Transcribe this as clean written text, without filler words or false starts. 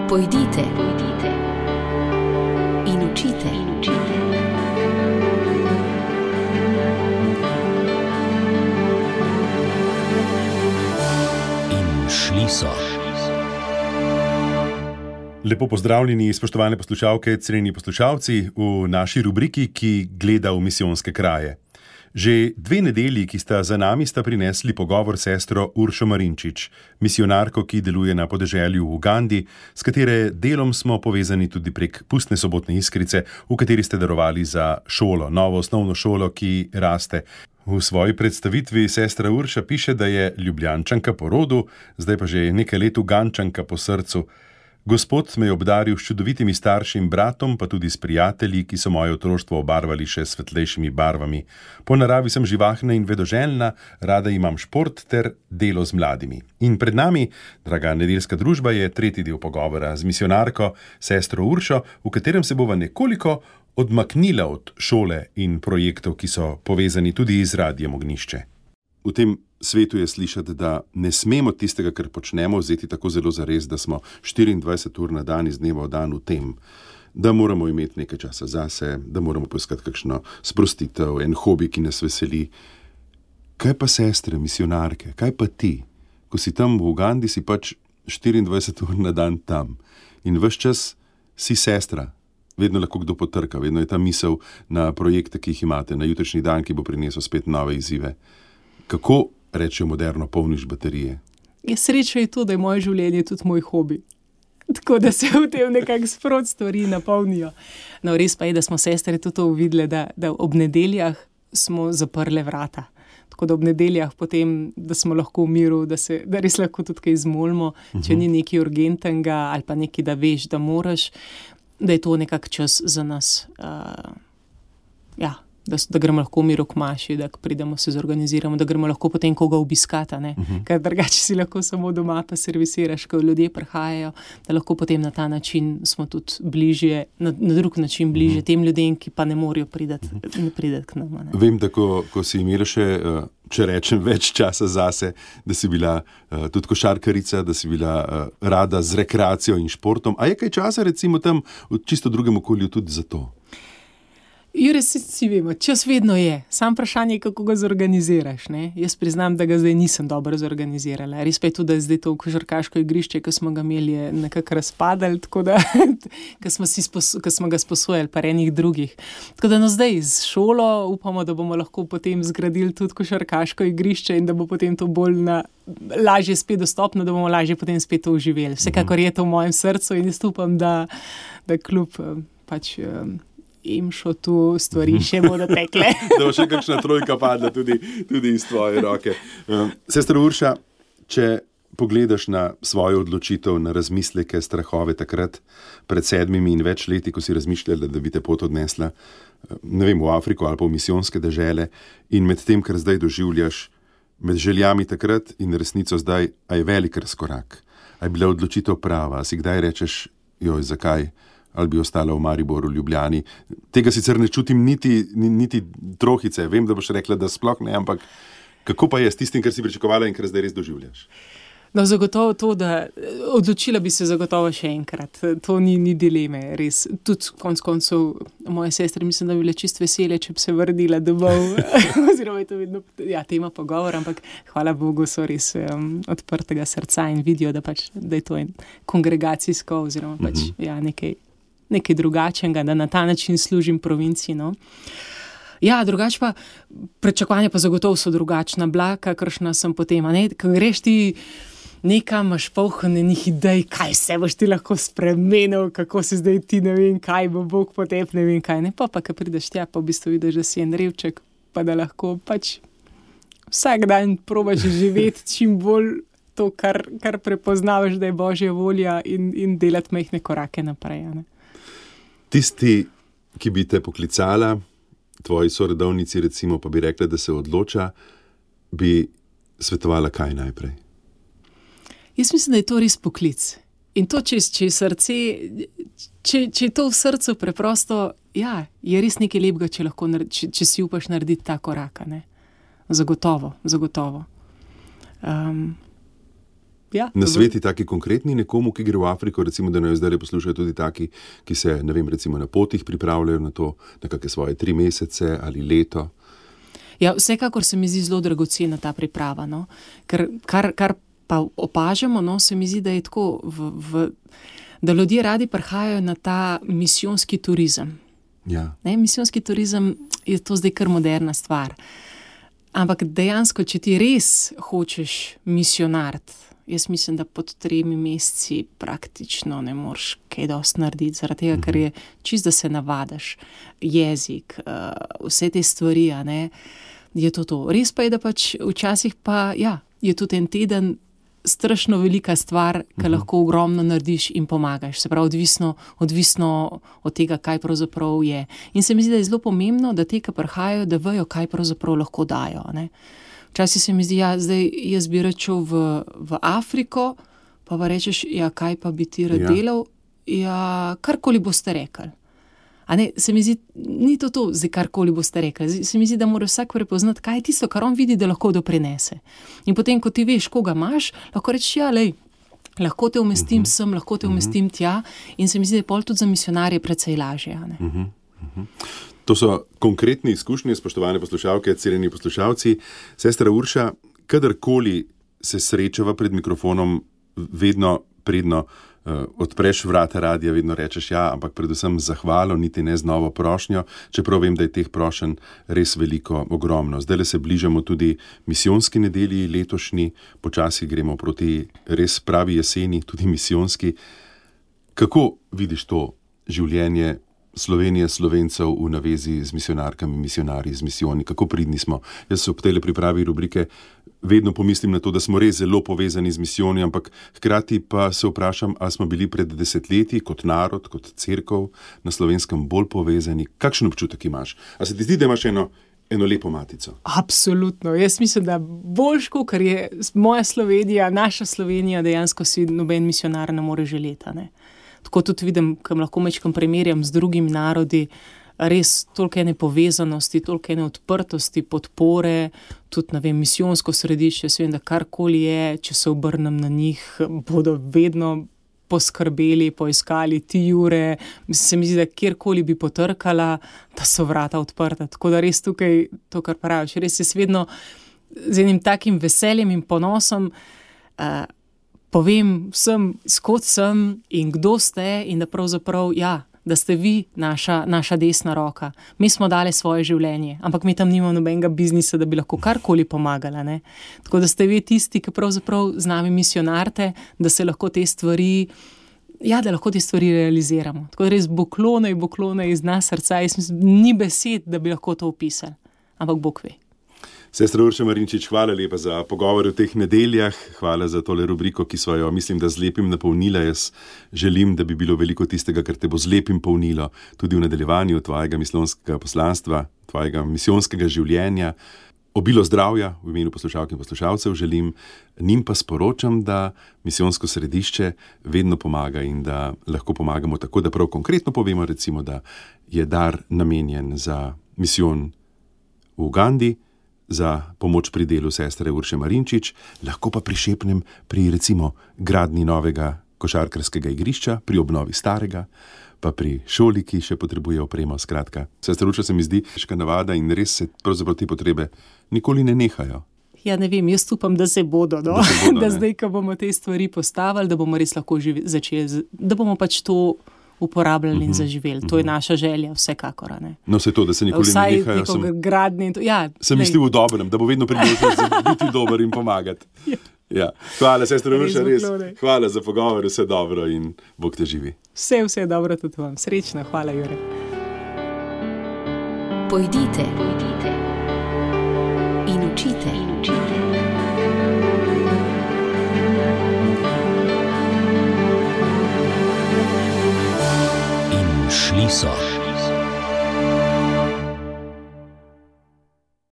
Pojdite in učite. In šli so. Lepo pozdravljeni, spoštovane poslušalke, cenjeni poslušalci, v naši rubriki, ki gleda v misijonske kraje. Že 2 nedelji, ki sta za nami, sta prinesli pogovor s sestro Uršo Marinčič, misionarko, ki deluje na podeželju v Ugandi, s katere delom smo povezani tudi prek Pustne sobotne iskrice, v kateri ste darovali za šolo, novo osnovno šolo, ki raste. V svoji predstavitvi sestra Urša piše, da je Ljubljančanka po rodu, zdaj pa že nekaj let Ugančanka po srcu. Gospod me je obdaril s čudovitimi staršim bratom, pa tudi s prijatelji, ki so moje otroštvo obarvali še svetlejšimi barvami. Po naravi sem živahna in vedoželjna, rada imam šport ter delo z mladimi. In pred nami, draga nedeljska družba, je 3. del pogovora z misionarko, sestro Uršo, v katerem se bova nekoliko odmaknila od šole in projektov, ki so povezani tudi z Radiem Ognjišče. V tem svetu je slišati, da ne smemo tistega, kar počnemo, vzeti tako zelo zares, da smo 24 ur na dan iz dneva v dan v tem, da moramo imeti nekaj časa zase, da moramo poiskati kakšno sprostitev, en hobi, ki nas veseli. Kaj pa sestre, misionarke, kaj pa ti? Ko si tam v Ugandi, si pač 24 ur na dan tam in ves čas si sestra. Vedno lahko kdo potrka, vedno je ta misel na projekte, ki jih imate, na jutrišnji dan, ki bo prinesel spet nove izzive. Kako, rečejo moderno, polniš baterije? Sreča je to, da je moje življenje tudi moj hobi. Tako da se v tem nekako sprot stvari napolnijo. No, res pa je, da smo sestre tudi to uvidele, da ob nedeljah smo zaprle vrata. Tako da ob nedeljah potem, da smo lahko v miru, da res lahko tudi kaj izmolimo, če ni nekaj urgentnega ali pa nekaj, da veš, da moraš, da je to nekak čas za nas. Da gremo lahko v miru k maši, da pridemo, se zorganiziramo, da gremo lahko potem koga obiskati, ker drugače si lahko samo doma pa servisiraš, ko ljudje prihajajo, da lahko potem na ta način smo tudi bližje, na drug način bližje tem ljudem, ki pa ne morejo priti k nam. Vem, da ko si imela še, če rečem, več časa zase, da si bila tudi košarkarica, da si bila rada z rekreacijo in športom. A je kaj časa recimo tam v čisto drugem okolju tudi za to? Res si vemo, čas vedno je. Sam vprašanje, kako ga zorganiziraš. Ne? Jaz priznam, da ga zdaj nisem dobro zorganizirala. Res pa je tudi, da zdaj to košarkaško igrišče, ki smo ga imeli, je nekako razpadali, tako da, ki smo ga sposojali pa enih drugih. Tako da zdaj z šolo upamo, da bomo lahko potem zgradili tudi košarkaško igrišče in da bo potem to bolj lažje spet dostopno, da bomo lažje potem spet to uživeli. Vsekakor je to v mojem srcu in jaz upam, da kljub pač Imšo tu stvari še bodo tekle. Da bo še kakšna trojka padla tudi iz tvoje roke. Sestra Urša, če pogledaš na svojo odločitev, na razmisleke, strahove takrat, pred 7 in več leti, ko si razmišljala, da bi te pot odnesla, ne vem, v Afriko ali pa v misijonske dežele, in med tem, kar zdaj doživljaš, med željami takrat in resnico zdaj, a je velik razkorak. A je bila odločitev prava? A si kdaj rečeš, zakaj? Ali bi ostala v Mariboru, v Ljubljani. Tega sicer ne čutim niti trohice. Vem, da boš rekla, da sploh ne, ampak kako pa je s tistim, kar si pričakovala in kar zdaj res doživljaš? No, zagotovo to, da odločila bi se zagotovo še enkrat. To ni dileme, res. Tudi konec koncev moje sestre, mislim, da bi bile čist vesele, če bi se vrnila domov. Oziroma je to vedno tema pogovora, ampak hvala Bogu so res odprtega srca in vidijo, da je to kongregacijsko oziroma nekaj drugačnega, da na ta način služim provinciji. No. Ja, drugače pa, pričakovanja pa zagotovo so drugačna, kakršna sem potem. Ko greš ti nekam, imaš polnenih idej, kaj se boš ti lahko spremenil, kako se zdaj ti ne vem kaj, bo Bog potep, ne vem kaj. Pa ko prideš tja, pa v bistvu vidiš, da si en revček, pa da lahko pač vsak dan probaš živeti čim bolj to, kar prepoznavaš, da je Božja volja in delati majhne korake naprej. Tisti, ki bi te poklicala, tvoji sorodovnici recimo, pa bi rekla, da se odloča, bi svetovala kaj najprej? Jaz mislim, da je to res poklic. In to, če je srce, če je to v srcu preprosto, je res nekaj lepega, če si upaš narediti ta korak. Zagotovo. Ja, na sveti taki konkretni nekomu, ki gre v Afriko, recimo, da naj zdaj poslušajo tudi taki, ki se, ne vem, recimo na potih pripravljajo na to, na kakšne svoje 3 mesece ali leto. Ja, vsekakor se mi zdi zelo dragocena ta priprava, no? Ker kar pa opažamo, no, se mi zdi, da je tako, da ljudje radi prihajajo na ta misijonski turizem. Ja. Ne, misijonski turizem je to zdaj kar moderna stvar. Ampak dejansko, če ti res hočeš misijonariti, jaz mislim, da pod 3 meseci praktično ne moreš kaj dosti narediti, zaradi tega, ker je čisto, da se navadaš, jezik, vse te stvari, a ne, je to. Res pa je, da pač včasih pa, ja, je tudi en teden strašno velika stvar, ki lahko ogromno narediš in pomagaš. Se pravi, odvisno od tega, kaj pravzaprav je. In se mi zdi, da je zelo pomembno, da te, ki prihajajo, da vejo, kaj pravzaprav lahko dajo, ne. Včasih se mi zdi, ja, zdaj jaz bi rečel v Afriko, pa rečeš, ja, kaj pa bi ti rad delal? Ja, karkoli boste rekli. A ne, se mi zdi, ni to, zdaj karkoli boste rekli. Se mi zdi, da mora vsak prepoznati, kaj je tisto, kar on vidi, da lahko doprinese. In potem, ko ti veš, koga imaš, lahko rečeš, ja, lej, lahko te umestim sem, lahko te umestim tja. In se mi zdi, da je pol tudi za misionarje precej lažje. A ne? To so konkretne izkušnje, spoštovane poslušalke, cenjeni poslušalci. Sestra Urša, kadarkoli se srečava pred mikrofonom, vedno predno odpreš vrata radia, vedno rečeš ja, ampak predvsem zahvalo, niti ne z novo prošnjo, čeprav vem, da je teh prošenj res veliko, ogromno. Zdaj se bližamo tudi misijonski nedelji letošnji, počasi gremo proti res pravi jeseni, tudi misijonski. Kako vidiš to življenje Slovenije, Slovencev v navezi z misionarkami, misionarji, z misijoni? Kako pridni smo? Jaz se ob tele pripravi rubrike vedno pomislim na to, da smo res zelo povezani z misijoni, ampak hkrati pa se vprašam, ali smo bili pred desetletji kot narod, kot cerkev na Slovenskem bolj povezani. Kakšen občutek imaš? A se ti zdi, da imaš eno lepo matico? Absolutno. Jaz mislim, da boljš, ker je moja Slovenija, naša Slovenija, dejansko si noben misionar ne more želeti, ne? Tako tudi vidim, kam lahko mečkam primerjam z drugimi narodi, res toliko ene povezanosti, toliko ene odprtosti, podpore, tudi, ne vem, misijonsko središče, vem, da karkoli je, če se obrnem na njih, bodo vedno poskrbeli, poiskali ti jure. Se mi zdi, da kjerkoli bi potrkala, da so vrata odprta. Tako da res tukaj, to, kar praviš, res je vedno z enim takim veseljem in ponosom, povem vsem, skod sem in kdo ste in da pravzaprav, ja, da ste vi naša desna roka. Mi smo dali svoje življenje, ampak mi tam nimamo nobenega biznisa, da bi lahko karkoli pomagala, ne. Tako da ste vi tisti, ki pravzaprav z nami misionarte, da se lahko te stvari, ja, da lahko te stvari realiziramo. Tako da res boklone iz nas srca, jaz mislim, ni besed, da bi lahko to opisali, ampak Bog ve. Sestra Urša Marinčič, hvala lepa za pogovor v teh nedeljah, hvala za tole rubriko, ki sva jo, mislim, da z lepim napolnila. Jaz želim, da bi bilo veliko tistega, kar te bo z lepim polnilo, tudi v nadaljevanju tvojega misijonskega poslanstva, tvojega misijonskega življenja. Obilo zdravja v imenu poslušalk in poslušalcev želim, njim pa sporočam, da misijonsko središče vedno pomaga in da lahko pomagamo tako, da prav konkretno povemo, recimo, da je dar namenjen za misijon v Ugandi, za pomoč pri delu sestre Urše Marinčič, lahko pa prišepnem pri, recimo, gradnji novega košarkarskega igrišča, pri obnovi starega, pa pri šoli, ki še potrebuje opremo. Skratka, sestra Urša se mi zdi težka navada in res se pravzaprav te potrebe nikoli ne nehajo. Ja, ne vem, jaz upam, da se bodo, no? Da zdaj, ko bomo te stvari postavili, da bomo res lahko začeli, da bomo pač to uporabljali in zaživeli. To je naša želja, vsekakor. Ne? No, vse to, da se nikoli ne nehajo. Vsaj gradnje. Ja, sem mislil v dobrem, da bo vedno priložnost biti dober in pomagati. Ja. Hvala, sestra Urša, res. Hvala za pogovor, vse dobro in Bog te živi. Vse dobro tudi vam. Srečno, hvala, Jure. Pojdite in učite. Šli so.